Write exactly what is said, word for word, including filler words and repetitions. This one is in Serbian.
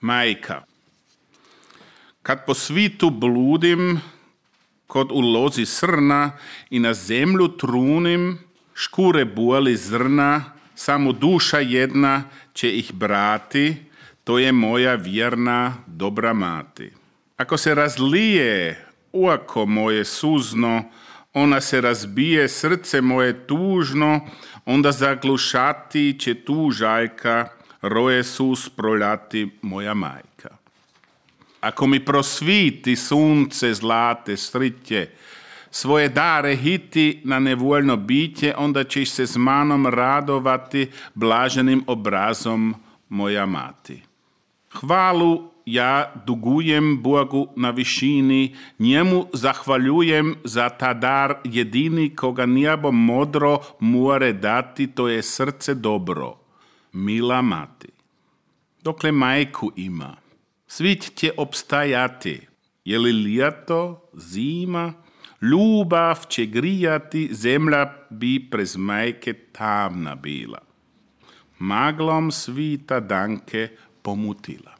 Majka. Kad po svitu bludim, kod u lozi srna i na zemlju trunim, škure boli zrna, samo duša jedna će ih brati, to je moja vjerna dobra mati. Ako se razlije uako moje suzno, ona se razbije srce moje tužno, onda zaglušati će tu žajka, roje sus proljati moja majka. Ako mi prosviti sunce zlate striće, svoje dare hiti na nevoljno biće, onda ćeš se s manom radovati blaženim obrazom moja mati. Hvalu ja dugujem Bogu na višini, njemu zahvaljujem za ta dar jedini koga nijabo modro more dati, to je srce dobro, mila mati. Dokle majku ima, svit će opstajati, je li ljeto, zima, ljubav će grijati, zemlja bi prez majke tamna bila. Maglom svita danke pomutila.